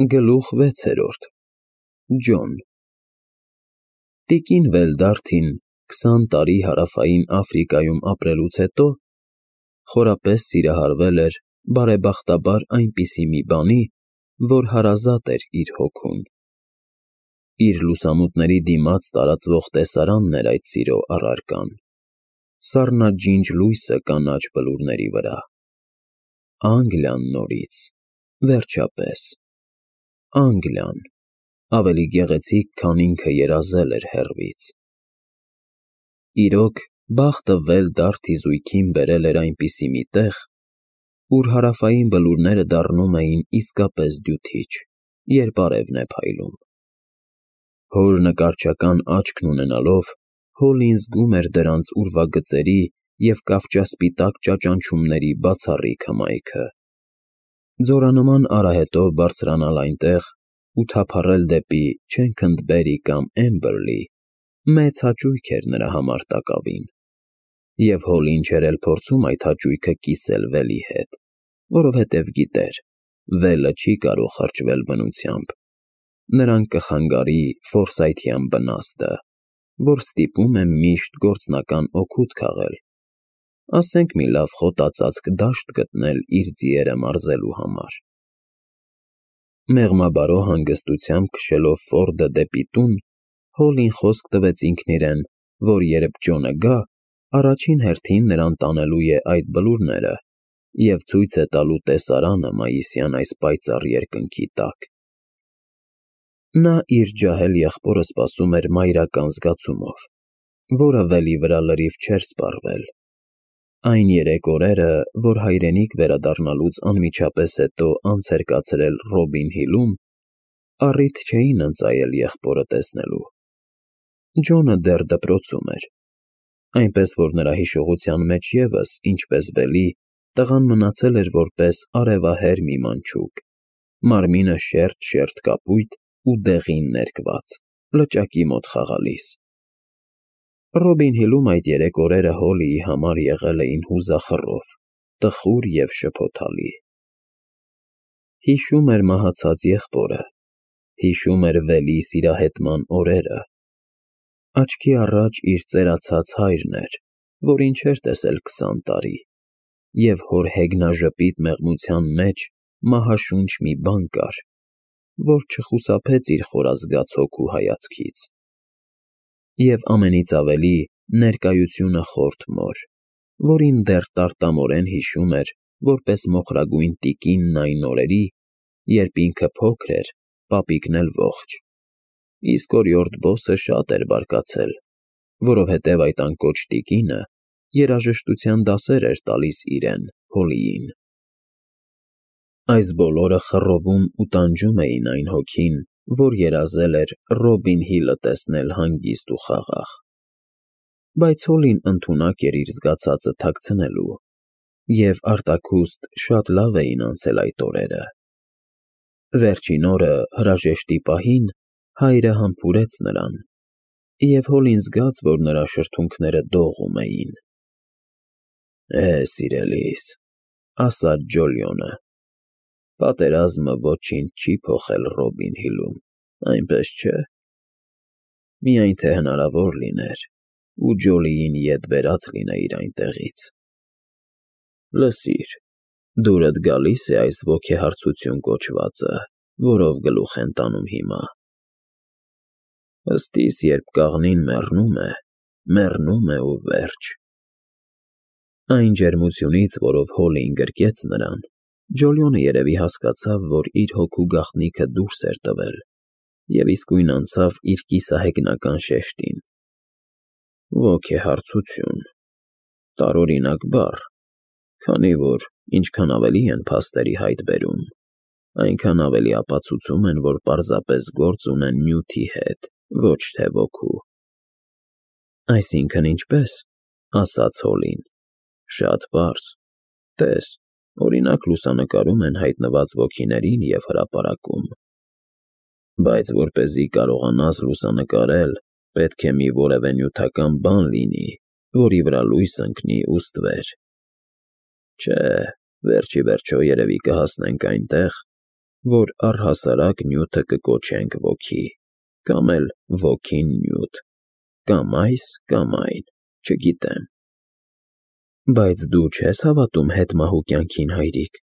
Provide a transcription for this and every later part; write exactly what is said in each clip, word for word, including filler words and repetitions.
Գլուխ վեցերորդ Ջոն Տիկին Վելդարթին քսան տարի հարավային Աֆրիկայում ապրելուց հետո խորապես սիրահարվել էր բարեբախտաբար այնպիսի մի բանի, որ հարազատ էր իր հոգուն։ Իր լուսամուտների դիմաց տարածվող տեսարանն էր այդ սիրո առարկան, սառնաջինջ լույսը կանաչ բլուրների վրա։ Անգլիան նորից, վերջապես, Անգլիան, ավելի գեղեցիկ, քան ինքը երազել էր հեռվից։ Իրոք, բախտը Վելդարթի զույգին բերել էր այնպիսի մի տեղ, ուր հարավային բլուրները դառնում էին իսկապես դյութիչ, երբ արևն է փայլում։ Հոր նկարչական աչքն ունենալով, Հոլին զգում էր դրանց ուրվագծերի և կավճասպիտակ ճաճանչումների բացառիկ հմայքը։ Ձորանման արահետով բարձրանալ այնտեղ ու թափառել դեպի Չենքընդբերի կամ Էմբերլի մեծ հաճույք էր նրա համար տակավին, և Հոլին չէր էլ փորձում այդ հաճույքը կիսել Վելի հետ, որովհետև գիտեր, Վելը չի կարող խրճվել բնությամբ, նրան կխանգարի ֆորսայթյան բնաստը, որ ստիպում է միշտ գործնական օգուտ քաղել, ասենք մի լավ խոտածածկ դաշտ գտնել իր ձիերը մարզելու համար։ Մեղմաբարո հանգստությամբ քշելով Ֆորդը դեպի տուն, Հոլին խոսք տվեց ինքն իրեն, որ երբ Ջոնը գա, առաջին հերթին նրան տանելու է այդ բլուրները և ցույց է տալու տեսարանը մայիսյան այս պայծառ երկնքի տակ։ Նա իր ջահել եղբորը սպասում էր մայրական զգացումով, որը Վելի վրա լրիվ չէր սպառվել։ Այն երեք օրերը, որ հայրենիք վերադառնալուց անմիջապես հետո անց էր կացրել Ռոբին Հիլում, առիթ չէին ընծայել եղբորը տեսնելու։ Ջոնը դեռ դպրոցում էր, այնպես որ նրա հիշողության մեջ ևս, ինչպես Վելի, տղան մնացել էր որպես արևահեր մի մանչուկ, մարմինը շերտ-շերտ կապույտ ու դեղին ներկված, լճակի մոտ խաղալիս։ Ռոբին Հիլում այդ երեք օրերը Հոլիի համար եղել էին հուզախռով, տխուր և շփոթալի։ Հիշում էր մահացած եղբորը, հիշում էր Վելի սիրահետման օրերը։ Աչքի առաջ իր ծերացած հայրն էր, որին չէր տեսել քսան տարի, և հոր հեգնաժպիտ մեղմության մեջ մահաշունչ մի բան կար, որ չխուսափեց իր խորազգաց հոգու հայացքից։ Եվ ամենից ավելի ներկայությունը խորթ մոր, որին դեռ տարտամորեն հիշում էր որպես մոխրագույն տիկինն այն օրերի, երբ ինքը փոքր էր, պապիկն էլ ողջ, իսկ օրիորդ Բոսը շատ էր բարկացել, որովհետև այդ անկոչ տիկինը երաժշտության դասեր էր տալիս իրեն, Հոլիին։ Այս բոլորը խռովում ու տանջում էին այն հոգին, որ երազել էր Ռոբին Հիլը տեսնել հանգիստ ու խաղաղ։ Բայց Հոլին ընդունակ էր իր զգացածը թաքցնելու, և արտաքուստ շատ լավ էին անցել այդ օրերը։ Վերջին օրը, հրաժեշտի պահին, հայրը համբուրեց նրան, և Հոլին զգաց, որ նրա շրթունքները դողում էին։ «Է, սիրելիս,» ասաց Ջոլիոնը, «պատերազմը ոչինչ չի փոխել Ռոբին Հիլում, այնպես չէ՞։ Միայն թե հնարավոր լիներ, ու Ջոլիին ետ բերած լինեիր այնտեղից։ Լսիր, դուրդ գալի՞ս է այս ոգեհարցություն կոչվածը, որով գլուխ են տանում հիմա։ Ըստիս, երբ կաղնին մեռնում է, մեռնում է ու վերջ»։ Այն ջերմությունից, որով Հոլին գրկեց նրան, Ջոլիոնը երևի հասկացավ, որ իր հոգու գաղտնիքը դուրս էր տվել, և իսկույն անցավ իր կիսահեգնական շեշտին։ Ոգեհարցություն, տարօրինակ բառ, քանի որ ինչքան ավելի են փաստերի հայտ բերում, այնքան ավելի ապացուցում են, որ պարզապես գործ ունեն նյութի հետ, ոչ թե ոգու։ Այսինքն ինչպե՞ս, ասաց Հոլին, շատ պարզ, տես, օրինակ լուսանկարում են հայտնված ոգիներին և հրապարակում։ Բայց որպեսզի կարողանաս լուսանկարել, պետք է մի որևէ նյութական բան լինի, որի վրա լույս ընկնի ու ստվեր։ Չէ, վերջ ի վերջո երևի կհասնենք այնտեղ, որ առհասարակ նյութը կկոչենք ոգի, կամ էլ ոգին նյութ, կամ այս, կամ այն, չգիտեմ։ Բայց դու չես հավատում հետմահու կյանքին, հայրիկ։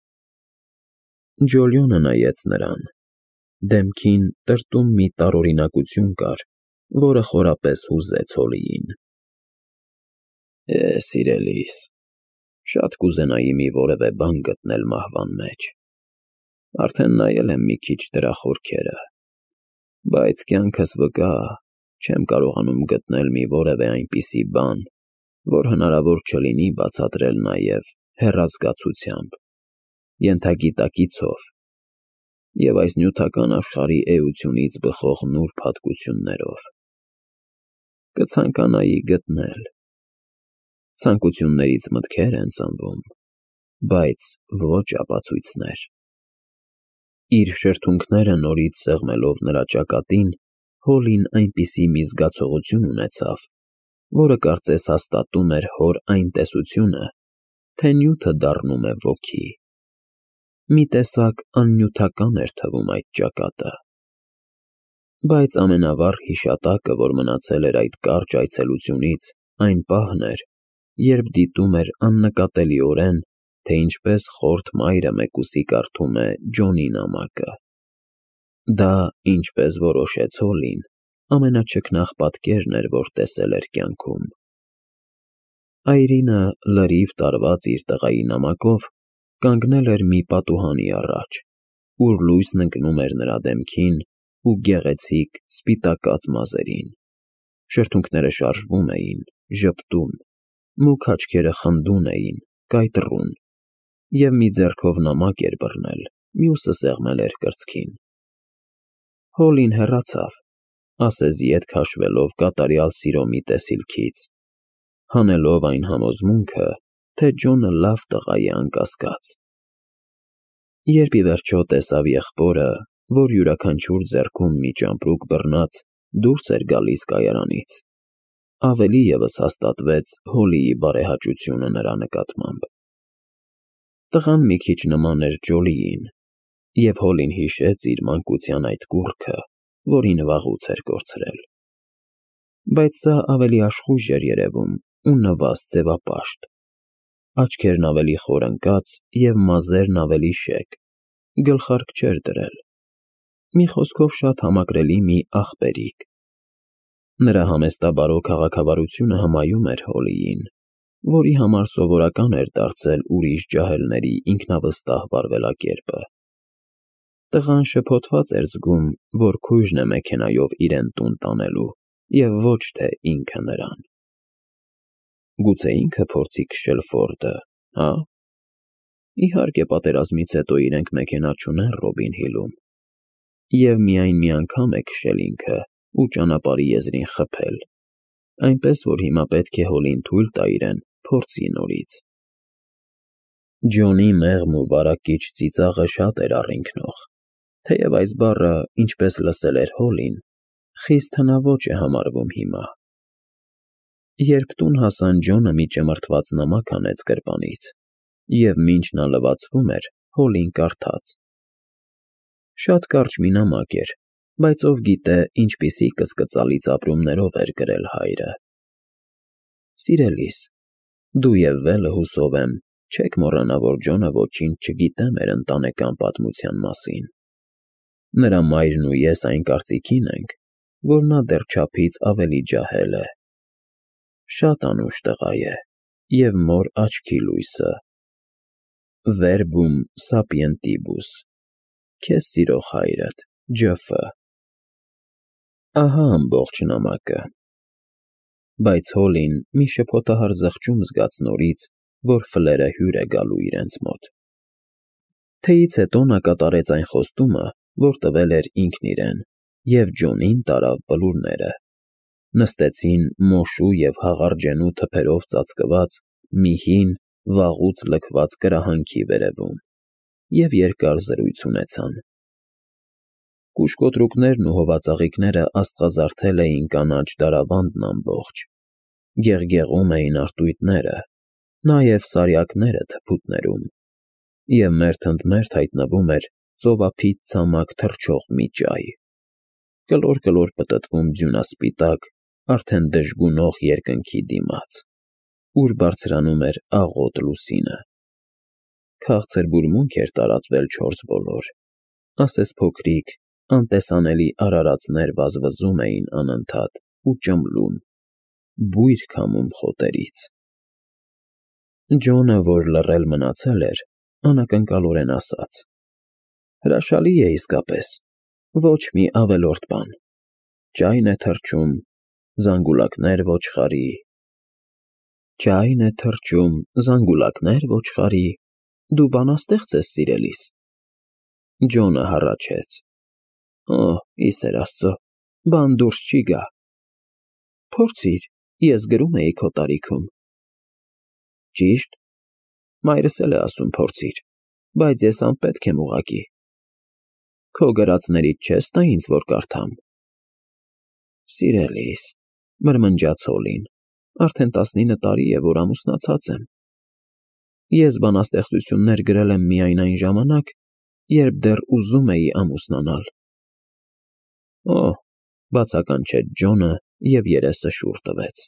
Ջոլիոնը նայեց նրան։ Դեմքին տրտում մի տարօրինակություն կար, որը խորապես հուզեց Հոլիին։ Է, սիրելիս, շատ կուզենայի մի որևէ բան գտնել մահվան մեջ։ Արդեն նայել եմ մի քիչ դրա խորքերը, բայց կյանքս վկա, չեմ կարողանում գտնել մի որևէ այնպիսի բան, որ հնարավոր չլինի բացատրել նաև հեռազգացությամբ, ենթագիտակիցով և այս նյութական աշխարհի էությունից բխող նուրբ հատկություններով։ Կցանկանայի գտնել։ Ցանկություններից մտքեր են ծնվում, բայց ոչ ապացույցներ։ Իր շրթունքները նորից սեղմելով նրա ճակատին, Հոլին այնպիսի մի զգացողություն ունեցավ, որը կարծես հաստատում էր հոր այն տեսությունը, թե նյութը դառնում է ոգի։ Մի տեսակ աննյութական էր թվում այդ ճակատը։ Բայց ամենավառ հիշատակը, որ մնացել էր այդ կարճ այցելությունից, այն պահն էր, երբ դիտում էր աննկատելիորեն, թե ինչպես խորթ մայրը մեկուսի կարդում է Ջոնի նամակը։ Դա, ինչպես որոշեց Հոլին, ամենաչքնաղ պատկերն էր, որ տեսել էր կյանքում։ Այրինը, լրիվ տարված իր տղայի նամակով, կանգնել էր մի պատուհանի առաջ, ուր լույսն ընկնում էր նրա դեմքին ու գեղեցիկ սպիտակած մազերին։ Շրթունքները շարժվում էին, ժպտում, մուգ աչքերը խնդուն էին, կայտրոն, և մի ձեռքով նամակ էր բռնել, մյուսը սեղմել էր կրծքին։ Հոլին հեռացավ, ասես ետ քաշվելով կատարյալ սիրո մի տեսիլքից, հանելով այն համոզմունքը, թե Ջոնը լավ տղա է անկասկած։ Երբ ի վերջո տեսավ եղբորը, որ յուրաքանչյուր ձեռքում մի ճամպրուկ բռնած դուրս էր գալիս կայարանից, ավելի ևս հաստատվեց Հոլիի բարեհաճությունը նրա նկատմամբ։ Տղան մի քիչ նման էր Ջոլիին, և Հոլին հիշեց իր մանկության այդ կուռքը, որին վաղուց էր կորցրել։ Բայց սա ավելի աշխույժ էր երևում ու նվազ ձևապաշտ, աչքերն ավելի խոր ընկած և մազերն ավելի շեկ, գլխարկ չէր դրել։ Մի խոսքով շատ համակրելի մի աղբերիկ։ Նրա համեստաբարո քաղաքավարությունը հմայում էր Հոլիին, որի համար սովորական էր դարձել ուրիշ ջահելների ինքնավստահ վարվելակերպը։ Տղան շփոթված էր զգում, որ քույրն է մեքենայով իրեն տուն տանելու, և ոչ թե ինքը նրան։ Գուցե ինքը փորձի քշել Ֆորդը, հա՞։ Իհարկե, պատերազմից հետո իրենք մեքենա չունեն Ռոբին Հիլում, և միայն մի անգամ է քշել ինքը ու ճանապարհի եզրին խփել, այնպես որ հիմա պետք է Հոլին թույլ տա իրեն փորձի նորից։ Ջոնի մեղմ ու վարակիչ ծիծաղը շատ էր առինքնող, թեև այս բառը, ինչպես լսել էր Հոլին, խիստ հնաոճ է համարվում հիմա։ Երբ տուն հասան, Ջոնը մի ճմրթված նամակ հանեց գրպանից, և մինչ նա լվացվում էր, Հոլին կարդաց. Շատ կարճ մի նամակ էր, բայց ով գիտե ինչպիսի կսկծալից ապրումներով էր գրել հայրը։ Սիրելիս, դու և Վելը, հուսով եմ, չեք մոռանա, որ Ջոնը ոչինչ չգիտե մեր ընտանեկան պատմության մասին։ Նրա մայրն ու ես այն կարծիքին ենք, որ նա դեռ չափից ավելի ջահել է։ Շատ անուշ տղա է և մոր աչքի լույսը։ Verbum sapientibus, քեզ սիրող հայրդ, Ջ Ֆ Ահա ամբողջ նամակը։ Բայց Հոլին մի շփոթահար զղջում զգաց նորից, որ ֆլերը հյուր է գալու իրենց մոտ։ Թեյից հետո նա կատարեց այն խոստումը, որ տվել էր ինքն իրեն, և Ջոնին տարավ բլուրները։ Նստեցին մոշու և հաղարջենու թփերով ծածկված մի հին, վաղուց լքված կրահանքի վերևում և երկար զրույց ունեցան։ Կուշկոտրուկներն ու հովածաղիկները աստղազարդել էին կանաչ դարավանդն ամբողջ, գեղգեղում էին արծույթները, նաև սարյակները թփուտներում, և մերթընդմերթ հայտնվում էր ծովափիտ ցամաք թռչող մի ճայ, կլոր-կլոր պտտվում ձյունասպիտակ, արդեն դժգունող երկնքի դիմաց, ուր բարձրանում էր աղոտ լուսինը։ Քաղցր բուրմունք էր տարածվել չորս բոլոր, ասես փոքրիկ, անտեսանելի արարածներ վազվզում էին անընդհատ ու ճմլում, բույր քամում խոտերից։ Ջոնը, որ լռել մնացել էր, անակնկալորեն ասաց. «Հրաշալի է իսկապես, ոչ մի ավելորդ բան, ճայն է թռչում, զանգուլակներ ոչխարի»։ Ճայն է թռչում, զանգուլակներ ոչխարի, դու բանաստեղծ ես, սիրելիս։ Ջոնը հառաչեց. «Օ, ի սեր Աստծո, բան դուրս չի գա»։ Փորձիր, ես գրում էի քո տարիքում։ Ճիշտ, մայրս էլ է ասում փորձիր, բայց ես անպետք եմ ուղղակի։ Քո գրածներից չես տա ինձ, որ կարդամ։ Սիրելիս, մրմնջաց Հոլին, արդեն տասնինը տարի է, որ ամուսնացած եմ։ Ես բանաստեղծություններ գրել եմ միայն այն ժամանակ, երբ դեռ ուզում էի ամուսնանալ։ Օ, բացականչեց Ջոնը և երեսը շուռ տվեց։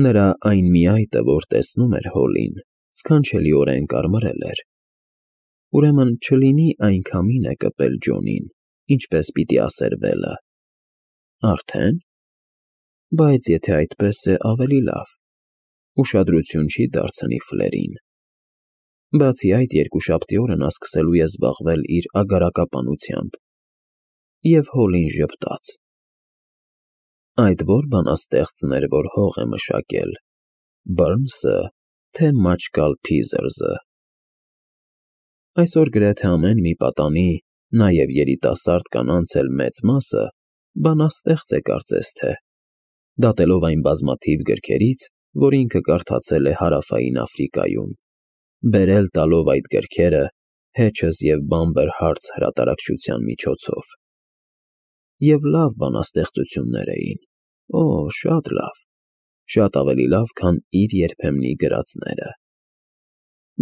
Նրա այն միայտը, որ տեսնում էր Հոլին, սքանչելիորեն կարմրել էր։ Ուրեմն չլինի այն քամին է կպել Ջոնին, ինչպես պիտի ասեր Վելը։ Արդեն։ Բայց եթե այդպես է, ավելի լավ, ուշադրություն չի դարձնի Ֆլերին։ Բացի այդ, երկուշաբթի օրը նա սկսելու է զբաղվել իր ագարակապանությամբ։ Եվ Հոլին ժպտաց. Այդ ո՞ր բանաստեղծն էր, որ հող է մշակել, Բըրնսը, թե Մաչկալ Փիզերզը։ Այսօր գրեթե ամեն մի պատանի, նաև երիտասարդ կանանց էլ մեծ մասը, բանաստեղծ է կարծես թե, դատելով այն բազմաթիվ գրքերից, որ ինքը կարդացել է Հարավային Աֆրիկայում, բերել տալով այդ գրքերը Hedges և Bamber Hearts հրատարակչության միջոցով։ Եվ լավ բանաստեղծություններ էին, օ, շատ լավ, շատ ավելի լավ, քան իր երբեմնի գրածները։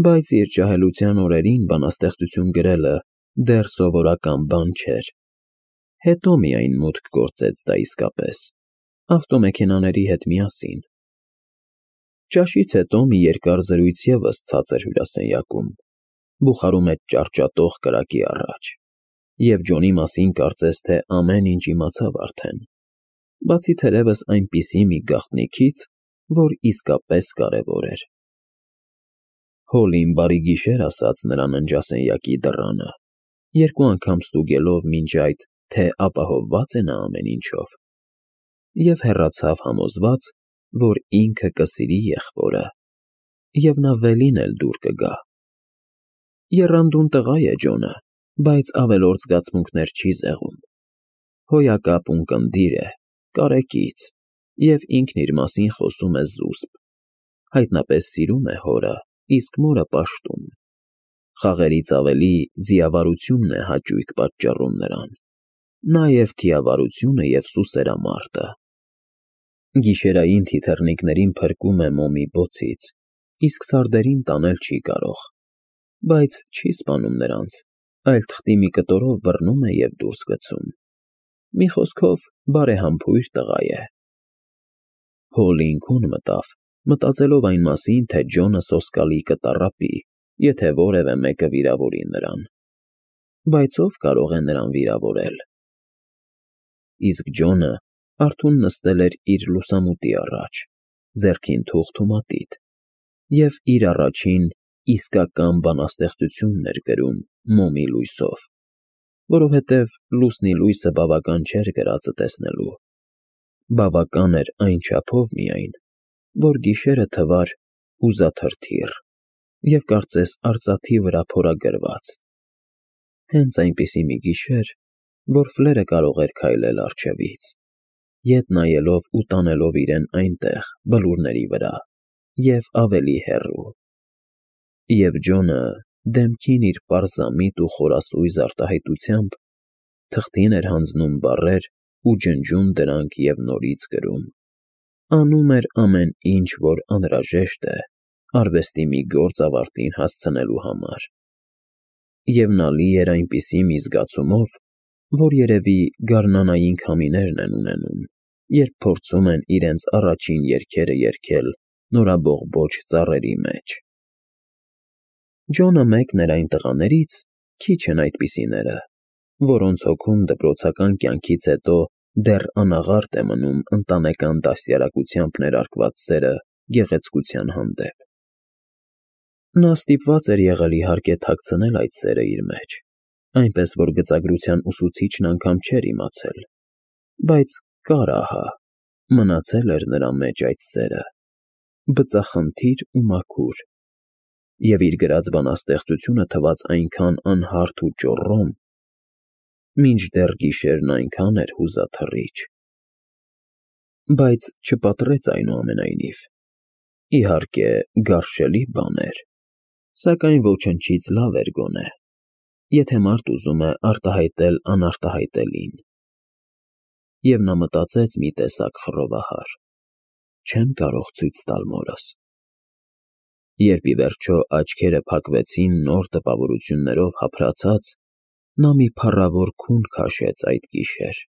Բայց իր ջահելության օրերին բանաստեղծություն գրելը դեռ սովորական բան չէր։ Հետո միայն մուտք գործեց դա իսկապես, ավտոմեքենաների հետ միասին։ Ճաշից հետո մի երկար զրույց ևս ցածր հյուրասենյակում, բուխարու մեջ ճարճատող կրակի առաջ, և Ջոնի մասին կարծես թե ամեն ինչ իմացավ արդեն, բացի թերևս այնպիսի մի գաղտնիքից, որ իսկապես կարևոր էր։ Հոլին բարի գիշեր ասաց նրա ննջասենյակի դռանը, երկու անգամ ստուգելով մինչ այդ, թե ապահովված է նա ամեն ինչով, և հեռացավ համոզված, որ ինքը կսիրի եղբորը, և նա Վելին էլ դուր կգա։ Եռանդուն տղա է Ջոնը, բայց ավելորդ զգացմունքներ չի զեղում։ Հոյակապ ունկնդիր է, կարեկից, և ինքն իր մասին խոսում է զուսպ, հայտնապես սիրում է հորը, իսկ մորը պաշտում։ Խաղերից ավելի ձիավարությունն է հաճույք պատճառում նրան, նաև թիավարությունը և սուսերամարտը։ Գիշերային թիթեռնիկներին փրկում է մոմի բոցից, իսկ սարդերին տանել չի կարող, բայց չի սպանում նրանց, այլ թղթի մի կտորով բռնում է և դուրս գցում։ Մի խոսքով, բարեհամբույր տղա է։ Հոլին քուն մտավ, մտածելով այն մասին, թե Ջոնը սոսկալի կտառապի, եթե որևէ մեկը վիրավորի նրան։ Բայց ով կարող է նրան վիրավորել։ Իսկ Ջոնը արթուն նստել էր իր լուսամուտի առաջ, ձեռքին թուղթ ու մատիտ, և իր առաջին իսկական բանաստեղծությունն էր գրում մոմի լույսով, որովհետև լուսնի լույսը բավական չէր գրածը տեսնելու, բավական էր այն չափով միայն, որ գիշերը թվար ուզաթրթիռ և կարծես արծաթի վրա փորագրված, հենց այնպիսի մի գիշեր, որ Ֆլերը կարող էր քայլել առջևից, ետ նայելով ու տանելով իրեն այնտեղ, բլուրների վրա, և ավելի հեռու։ Եվ Ջոնը, դեմքին իր պարզամիտ ու խորասույզ արտահայտությամբ, թղթին էր հանձնում բառեր ու ջնջում դրանք և նորից գրում, անում էր ամեն ինչ, որ անհրաժեշտ է արվեստի մի գործ ավարտին հասցնելու համար։ և նա լի էր այնպիսի մի զգացումով, որ երևի գարնանային քամիներն են ունենում, երբ փորձում են իրենց առաջին երգերը երգել նորաբողբոջ ծառերի մեջ։ Ջոնը մեկն էր այն տղաներից, քիչ են այդպիսիները, որոնց հոգում դպրոցական կյանքից հետո դեռ անաղարտ է մնում ընտանեկան դաստիարակությամբ ներարկված սերը գեղեցկության հանդեպ։ Նա ստիպված էր եղել, իհարկե, թաքցնել այդ սերը իր մեջ, այնպես որ գծագրության ուսուցիչն անգամ չէր իմացել, բայց կար ահա, մնացել էր նրա մեջ այդ սերը, բծախնդիր ու մաքուր, և իր գրած բանաստեղծությունը թվաց այնքան անհարթ ու ճոռոմ, մինչդեռ գիշերն այնքան էր հուզաթռիչ։ Բայց չպատրեց, այնուամենայնիվ, իհարկե, գարշելի բան էր, սակայն ոչնչից լավ էր գոնե, եթե մարդ ուզում է արտահայտել անարտահայտելին։ Եվ նա մտածեց մի տեսակ խռովահար. չեմ կարող ցույց տալ մորս։ Երբ ի վերջո աչքերը փակվեցին նոր տպավորություններով հափրացած, նա մի փառավոր քուն քաշեց այդ գիշեր։